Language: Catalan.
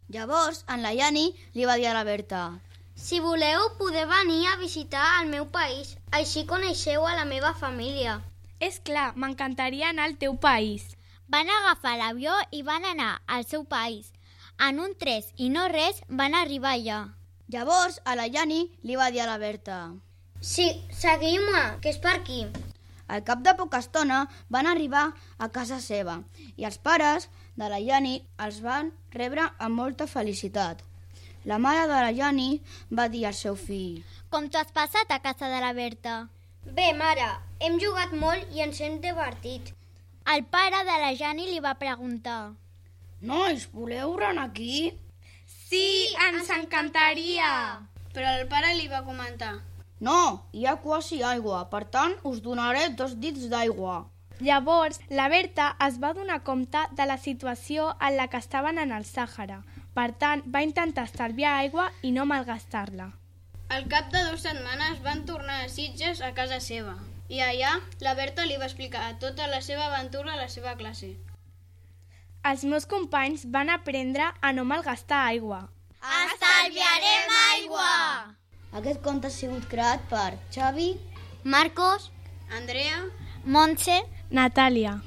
Llavors, en la Yani li va dir a la Berta: Si voleu, podeu venir a visitar el meu país. Així coneixeu a la meva família. És clar, m'encantaria anar al teu país. Van agafar l'avió i van anar al seu país. En un tres i no res van arribar allà. Llavors, a la Yani li va dir a la Berta: Sí, seguim-me, que és per aquí. Al cap de poca estona van arribar a casa seva i els pares de la Yani els van rebre amb molta felicitat. La mare de la Yani va dir al seu fill: Com t'ho has passat a casa de la Berta? Bé, mare, hem jugat molt i ens hem divertit. El pare de la Yani li va preguntar: Nois, voleu anar aquí? Sí, ens encantaria! Però el pare li va comentar: No, hi ha quasi aigua, per tant us donaré 2 dits d'aigua. Llavors, la Berta es va donar compte de la situació en la que estaven en el Sàhara. Per tant, va intentar estalviar aigua i no malgastar-la. Al cap de 2 setmanes van tornar a Sitges a casa seva. I allà, la Berta li va explicar tota la seva aventura a la seva classe. Els meus companys van aprendre a no malgastar aigua. Estalviarem aigua! Aquest conte ha sigut creat per Xavi, Marcos, Andrea, Montse, Natàlia.